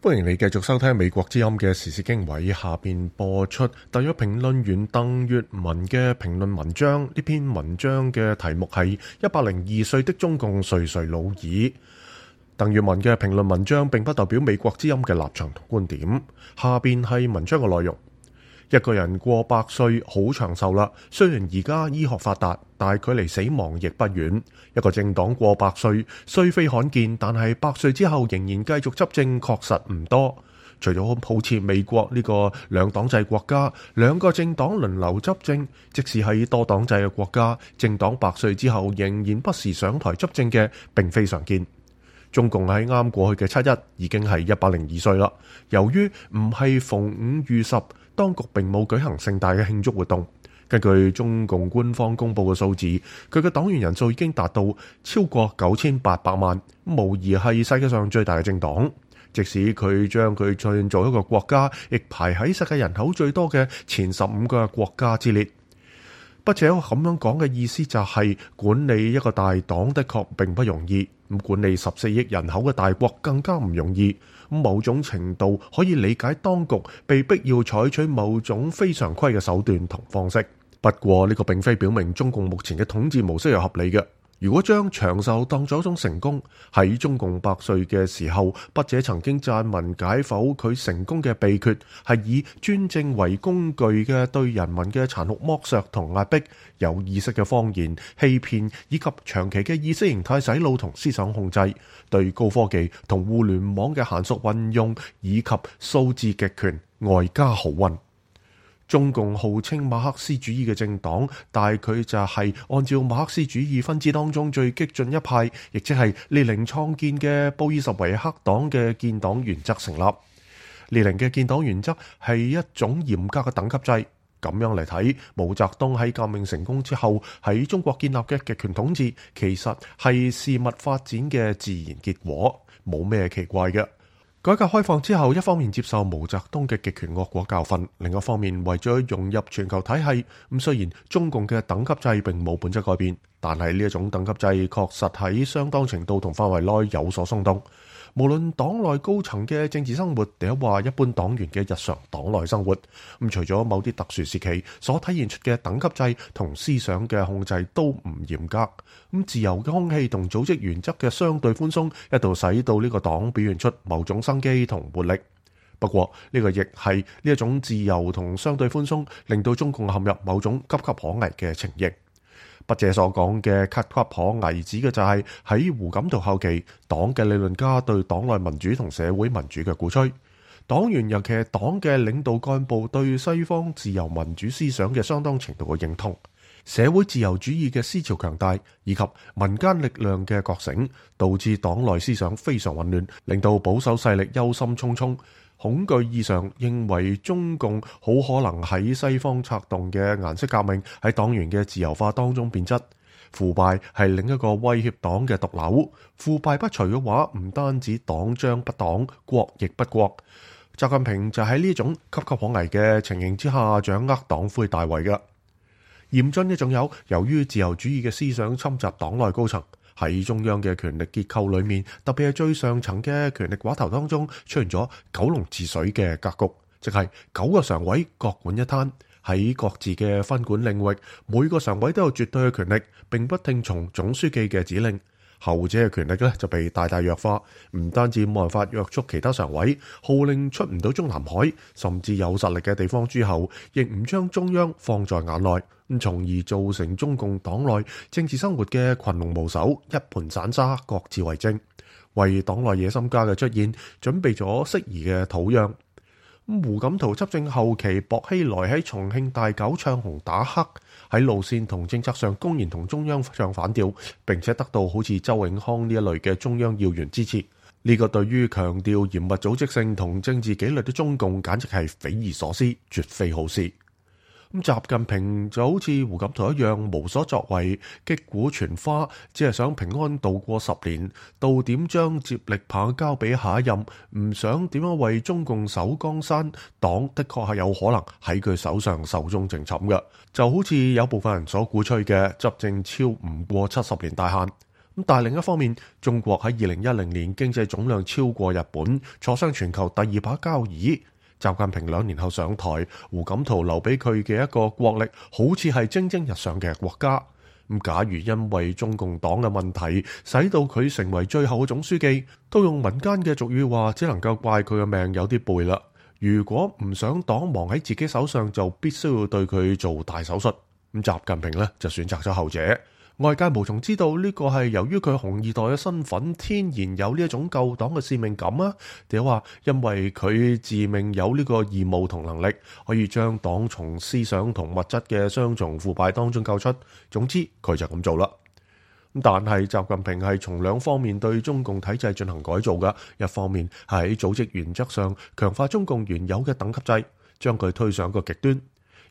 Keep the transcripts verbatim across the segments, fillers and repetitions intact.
歡迎你繼續收聽美國之音嘅時事經緯，下邊播出特約評論員鄧粵文嘅評論文章。呢篇文章嘅題目係一百零二歲的中共垂垂老矣。鄧粵文嘅評論文章並不代表美國之音嘅立場同觀點。下邊係文章嘅內容。一個人過百歲好長壽啦，雖然而家醫學發達，但距離死亡亦不遠。一個政黨過百歲雖非罕見，但係百歲之後仍然繼續執政確實唔多。除咗好似美國呢個兩黨制國家，兩個政黨輪流執政，即使喺多黨制嘅國家，政黨百歲之後仍然不時上台執政嘅並非常見。中共喺啱過去嘅七一已經係一百零二歲啦。由於唔係逢五遇十，當局並冇舉行盛大嘅慶祝活動。根據中共官方公布嘅數字，佢嘅黨員人數已經達到超過九千八百萬，無疑係世界上最大嘅政黨。即使佢將佢創造一個國家，亦排喺世界人口最多嘅前十五個國家之列。不且咁樣講嘅意思就係管理一個大黨的確並不容易，咁管理十四億人口嘅大國更加唔容易。某種程度可以理解當局被逼要採取某種非常規嘅手段同方式。不過呢個並非表明中共目前嘅統治模式係合理嘅。如果將長壽當作一種成功，喺中共百歲嘅時候，筆者曾經撰文解剖佢成功嘅秘訣，係以專政為工具嘅對人民嘅殘酷剝削同壓迫，有意識嘅謊言、欺騙以及長期嘅意識形態洗腦同思想控制，對高科技同互聯網嘅嫻熟運用以及數字極權外加豪運。中共號稱馬克思主義嘅政黨，但佢就係按照馬克思主義分支當中最激進一派，亦即係列寧創建嘅布爾什維克黨嘅建黨原則成立。列寧嘅建黨原則係一種嚴格嘅等級制。咁樣嚟睇，毛澤東喺革命成功之後喺中國建立嘅極權統治，其實係事物發展嘅自然結果，冇咩奇怪嘅。改革開放之後，一方面接受毛澤東嘅極權惡果教訓，另一方面為咗融入全球體系，咁雖然中共嘅等級制並冇本質改變，但係呢一種等級制確實喺相當程度同範圍內有所鬆動。無論黨內高層嘅政治生活，定係話一般黨員嘅日常黨內生活，咁除咗某啲特殊時期所體現出嘅等級制同思想嘅控制都唔嚴格，咁自由嘅空氣同組織原則嘅相對寬鬆，一度使到呢個黨表現出某種生機同活力。不過呢個亦係呢一種自由同相對寬鬆，令到中共陷入某種岌岌可危嘅情形。筆者所講嘅岌岌可危，指嘅就係喺胡錦濤後期，黨嘅理論家對黨內民主同社會民主嘅鼓吹，黨員尤其係黨嘅領導幹部對西方自由民主思想嘅相當程度嘅認同，社會自由主義嘅思潮強大，以及民間力量嘅覺醒，導致黨內思想非常混亂，令到保守勢力憂心忡忡。恐懼異常，認為中共好可能喺西方策動嘅顏色革命喺黨員嘅自由化當中變質。腐敗係另一個威脅黨嘅毒瘤。腐敗不除嘅話，唔單止黨將不黨，國亦不國。習近平就喺呢種岌岌可危嘅情形之下，掌握黨魁大位嘅。嚴峻嘅仲有，由於自由主義嘅思想侵襲黨內高層。喺中央嘅權力結構裏面，特別係最上層嘅權力寡頭當中，出現咗九龍治水嘅格局，即係九個常委各管一攤，喺各自嘅分管領域，每個常委都有絕對嘅權力，並不聽從總書記嘅指令。後者嘅權力咧就被大大弱化，唔單止冇辦法約束其他常委，號令出唔到中南海，甚至有實力嘅地方諸侯亦唔將中央放在眼內，咁從而造成中共黨內政治生活嘅群龍無首，一盤散沙，各自為政，為黨內野心家嘅出現準備咗適宜嘅土壤。胡錦濤執政後期，薄熙來喺重慶大搞唱紅打黑，喺路線同政策上公然同中央唱反調，並且得到好似周永康呢一類嘅中央要員支持。呢、這個對於強調嚴密組織性同政治紀律的中共，簡直係匪夷所思，絕非好事。咁習近平就好似胡錦濤一樣無所作為，擊鼓傳花，只係想平安度過十年，到點將接力棒交俾下一任，唔想點樣為中共守江山。黨的確係有可能喺佢手上壽終正寢嘅，就好似有部分人所鼓吹嘅執政超唔過七十年大限。咁但係另一方面，中國喺二零一零年經濟總量超過日本，坐上全球第二把交椅。習近平兩年後上台，胡錦濤留俾佢嘅一個國力，好似係蒸蒸日上嘅國家。咁假如因為中共黨嘅問題，使到佢成為最後嘅總書記，都用民間嘅俗語話，只能夠怪佢嘅命有啲背啦。如果唔想黨亡喺自己手上，就必須要對佢做大手術。咁習近平呢，就選擇咗後者。外界無從知道呢個係由於佢紅二代嘅身份天然有呢一種救黨嘅使命感啊，定係話因為佢自命有呢個義務同能力，可以將黨從思想同物質嘅雙重腐敗當中救出。總之佢就咁做啦。但係習近平係從兩方面對中共體制進行改造嘅，一方面係喺組織原則上強化中共原有嘅等級制，將佢推上一個極端。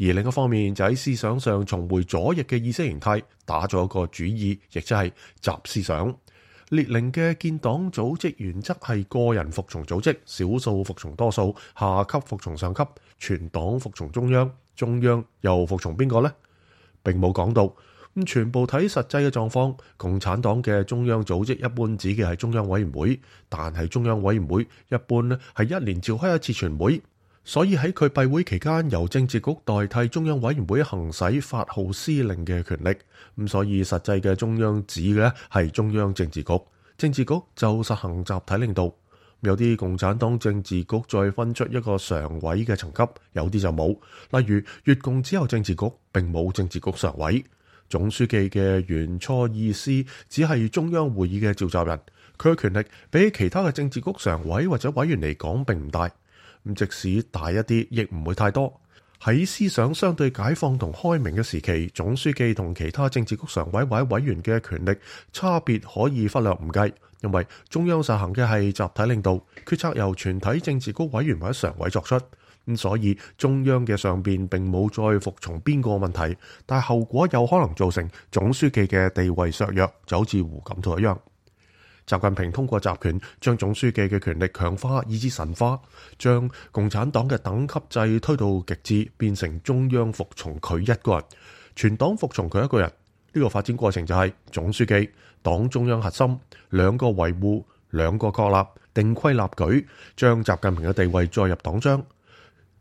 而另一方面就喺思想上重回左翼嘅意識形態，打咗一個主意，亦即係習思想。列寧嘅建黨組織原則係個人服從組織，少數服從多數，下級服從上級，全黨服從中央，中央又服從邊個呢？並冇講到。咁全部睇實際嘅狀況，共產黨嘅中央組織一般指嘅係中央委員會，但係中央委員會一般呢係一年召開一次全會。所以喺佢閉會期間，由政治局代替中央委員會行使發號施令嘅權力。咁所以實際嘅中央指嘅係中央政治局，政治局就實行集體領導。有啲共產黨政治局再分出一個常委嘅層級，有啲就冇。例如越共只有政治局，並冇政治局常委。總書記嘅原初意思只係中央會議嘅召集人，佢嘅權力比其他嘅政治局常委或者委員嚟講並唔大。咁即使大一啲，亦唔會太多。喺思想相對解放同開明嘅時期，總書記同其他政治局常委或者委員嘅權力差別可以忽略唔計，因為中央實行嘅係集體領導，決策由全體政治局委員或者常委作出。咁所以中央嘅上邊並冇再服從邊個問題，但係後果有可能造成總書記嘅地位削弱，就好似胡錦濤一樣。習近平通過集權將總書記嘅權力強化以至神化，將共產黨嘅等級制推到極致，變成中央服從佢一個人，全黨服從佢一個人。呢個發展過程就係總書記、黨中央核心兩個維護、兩個確立、定規立矩，將習近平嘅地位載入黨章，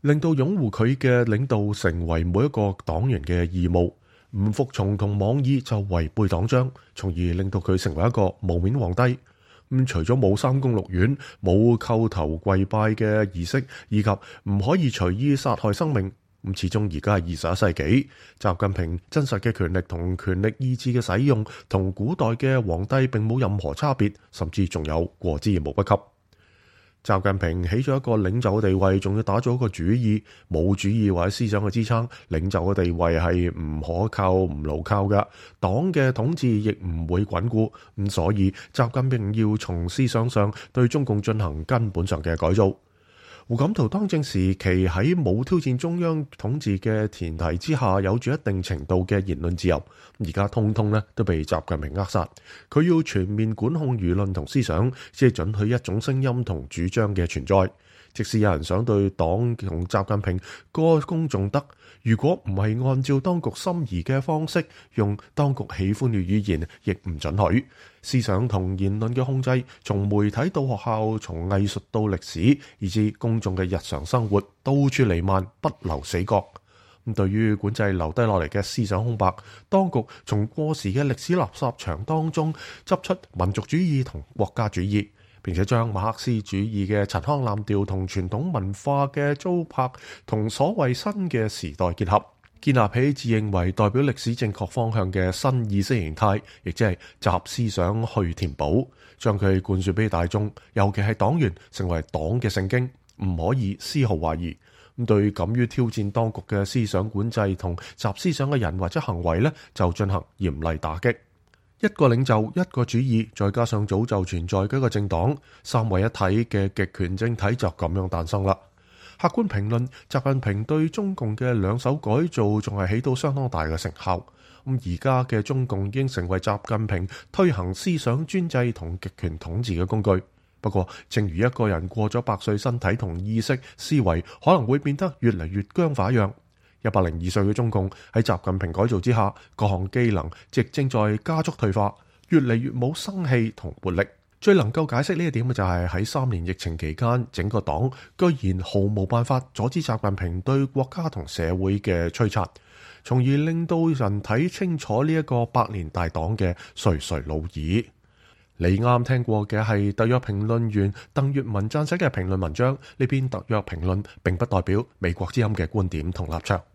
令到擁護佢嘅領導成為每一個黨員嘅義務。唔服從同妄議就違背黨章，從而令到佢成為一個無面皇帝。咁除咗冇三宮六院、冇叩頭跪拜嘅儀式，以及唔可以隨意殺害生命，咁始終而家係二十一世紀，習近平真實嘅權力同權力意志嘅使用，同古代嘅皇帝並冇任何差別，甚至仲有過之而無不及。習近平起咗一個領袖嘅地位，仲要打咗一個主意，冇主意或者思想嘅支撐，領袖嘅地位係唔可靠、唔牢靠嘅，黨嘅統治亦唔會穩固。咁所以習近平要從思想上對中共進行根本上嘅改造。胡錦濤當政時期喺冇挑戰中央統治嘅前提之下，有住一定程度嘅言論自由。而家通通咧都被習近平扼殺。佢要全面管控輿論同思想，先係准許一種聲音同主張嘅存在。即使有人想對黨同習近平歌功頌德，如果唔係按照當局心儀嘅方式，用當局喜歡嘅語言，亦唔准許。思想同言論嘅控制，從媒體到學校，從藝術到歷史，以至公眾嘅日常生活，到處彌漫，不留死角。咁對於管制留低落嚟嘅思想空白，當局從過時嘅歷史垃圾場當中執出民族主義同國家主義，並且將馬克思主義嘅陳腔濫調同傳統文化嘅糟粕同所謂新嘅時代結合，建立起自認為代表歷史正確方向嘅新意識形態，亦即係習思想去填補，將佢灌輸俾大眾，尤其係黨員，成為黨嘅聖經，唔可以絲毫懷疑。咁對敢於挑戰當局嘅思想管制同習思想嘅人或者行為呢，就進行嚴厲打擊。一個領袖、一個主義，再加上早就存在嘅一個政黨，三位一體嘅極權政體就咁樣誕生啦。客觀評論，習近平對中共嘅兩手改造仲係起到相當大嘅成效。咁而家嘅中共已經成為習近平推行思想專制同極權統治嘅工具。不過，正如一個人過咗百歲，身體同意識、思維可能會變得越嚟越僵化一樣。一百零二歲嘅中共喺習近平改造之下，各項機能亦正在加速退化。越嚟越冇生氣同活力。最能夠解釋呢一點嘅就係喺三年疫情期間，整個黨居然毫無辦法阻止習近平對國家同社會嘅摧殘，從而令到人睇清楚呢一個百年大黨嘅垂垂老矣。你啱聽過嘅係特約評論員鄧粵文撰寫嘅評論文章，呢篇特約評論並不代表美國之音嘅觀點同立場。